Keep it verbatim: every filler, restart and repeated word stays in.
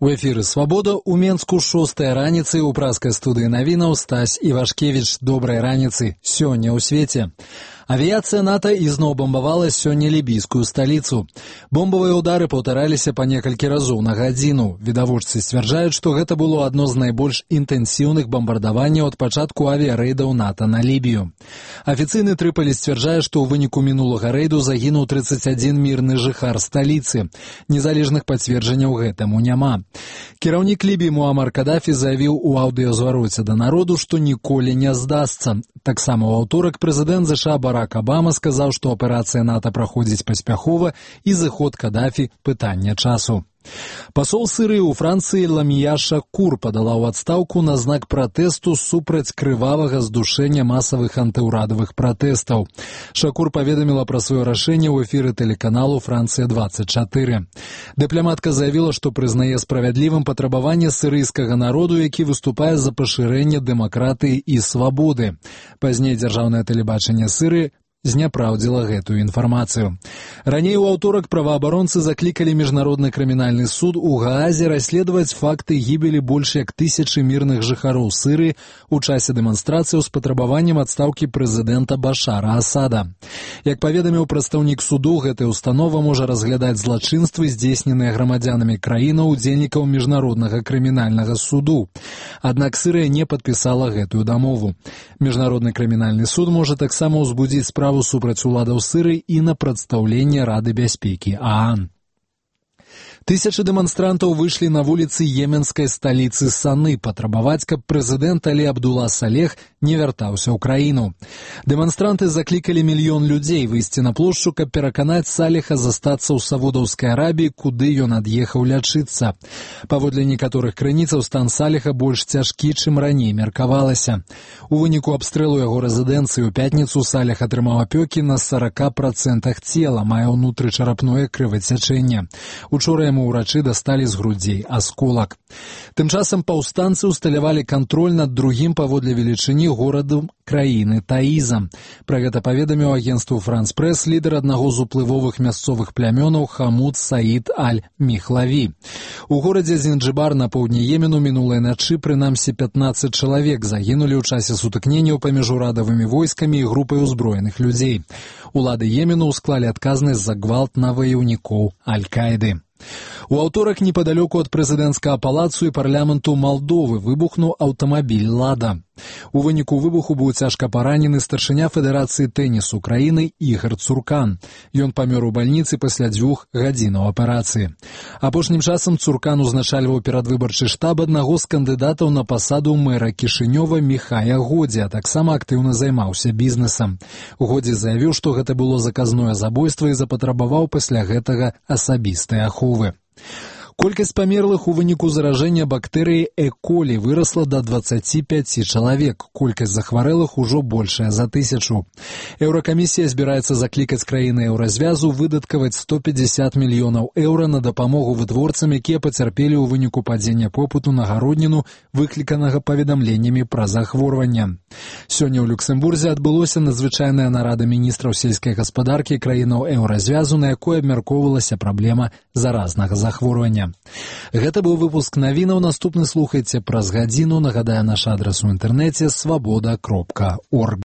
У эфіры «Свабода» у Менску шостая раніцы ў праскай студыі навінаў Стась Івашкевіч. Добрай раніцы. Сёння ў свеце. Авіяцыя НАТО ізноў бомбавала сёння лібійскую сталіцу. Бомбавыя ўдары паўтараліся па некалькі разоў на гадзіну. Відавочцы сцвярджаюць, што гэта было адно з найбольш інтэнсіўных бамбардаванняў ад пачатку авіярэйдаў НАТО на Лібію. Афіцыйны Трыполі сцвярджае, што ў выніку мінулага рэйду загінуў трыццаць адзін мірны жыхар сталіцы. Незалежных пацверджанняў гэтаму няма. Кіраўнік Лібіі Муамар Кадафі заявіў у аўдыёзвароце да народу, што ніколі не здасца. Таксама ў аўторак прэзідэнт ЗША Барак Абама сказаў, што аперацыя НАТО праходзіць паспяхова і зыход Кадафі – пытанне часу. Пасол Сырыі ў Францыі Ламія Шакур падала ў адстаўку на знак пратэсту супраць крывавага здушэння масавых антыўрадавых пратэстаў. Шакур паведаміла пра сваё рашэнне ў эфіры тэлеканалу «Францыя двадцать четыре». Дыпламатка заявіла, што прызнае справядлівым патрабаванне сырыйскага народу, які выступае за пашырэнне дэмакратыі і свабоды. Пазней дзяржаўнае тэлебачанне Сырыі зняпраўдзіла гэтую інфармацыю. Раней у аўторак праваабаронцы заклікалі міжнародны крымінальны суд у Гаазе расследаваць факты гібелі больш як тысячы мірных жыхароў Сырыі у часе дэманстрацыяў з патрабаваннем адстаўкі прэзідэнта Башара Асада. Як паведаміў прадстаўнік суду, гэтая установа можа разглядаць злачынствы, здзейсненыя грамадзянамі краіны удзельнікаў міжнароднага крымінальнага суду. Аднак Сырыя не падпісала гэтую дамову. Міжнародны крымінальны суд можа таксама ўзбудзіць справу супраць уладаў Сырыі і на прадстаўленне Рады бяспекі ААН. Тысячы дэманстрантаў выйшлі на вуліцы йеменскай сталіцы Саны патрабаваць, каб прэзідэнт Алі Абдула Салех не вяртаўся ў краіну. Дэманстранты заклікалі мільён людзей выйсці на плошчу, каб пераканаць Салеха застацца ў Саудаўскай Арабіі, куды ён ад'ехаў лячыцца. Паводле некаторых крыніцаў, стан Салеха больш цяжкі, чым раней меркавалася. У выніку абстрэлу яго рэзідэнцыі ў пятніцу Салех атрымаў апёкі на сорок процентах цела, мае ўнутрычарапное крывацячэнне. Учора яму ўрачы дасталі з грудзей асколак. Тым часам паўстанцы ўсталявалі кантроль над другім паводле велічыні горадам краіны Таізам. Пра гэта паведаміў агенцтву «Франс Прэс» лідар аднаго з уплывовых мясцовых плямёнаў Хамуд Саід Аль-Міхлаві. У горадзе Зінджыбар на поўдні Йемену мінулай начы прынамсі пятнаццаць чалавек загінулі ў часе сутыкненняў паміж урадавымі войскамі і групай узброеных людзей. Улады Йемену ўсклалі адказнасць за гвалт на ваяўнікоў Аль-Каіды. У аўторак непадалёку ад прэзідэнцкага палацу і парламенту Малдовы выбухнуў аўтамабіль «Лада». У выніку выбуху быў цяжка паранены старшыня Федэрацыі тэнісу краіны Ігар Цуркан. Ён памёр у бальніцы пасля дзвюх гадзінаў аперацыі. Апошнім часам Цуркан узначальваў перадвыбарчы штаб аднаго з кандыдатаў на пасаду мэра Кішынёва Міхая Годзі, а таксама актыўна займаўся бізнесам. Годзі заявіў, што гэта было заказное забойства і запатрабаваў пасля гэтага асабістай аховы. Колькасць памерлых у выніку заражэння бактэрыяй Э. колі вырасла да дваццаці пяці чалавек. Колькасць захварэлых ужо большая за тысячу. Еўракамісія збіраецца заклікаць краіны еўразвязу выдаткаваць сто пятьдесят мільёнаў еўра на дапамогу вытворцам, якія пацярпелі ў выніку падзення попыту на гародніну, выкліканага паведамленнямі пра захворванне. Сёння ў Люксембурзе адбылося надзвычайная нарада міністраў сельскай гаспадаркі краінаў еўразвязу, на якой абмяркоўвалася праблема заразнага захворвання. Гэта быў выпуск навінаў. Наступны слухайце праз гадзіну. Нагадаю, наш адрас у інтэрнэце свабода кропка орг.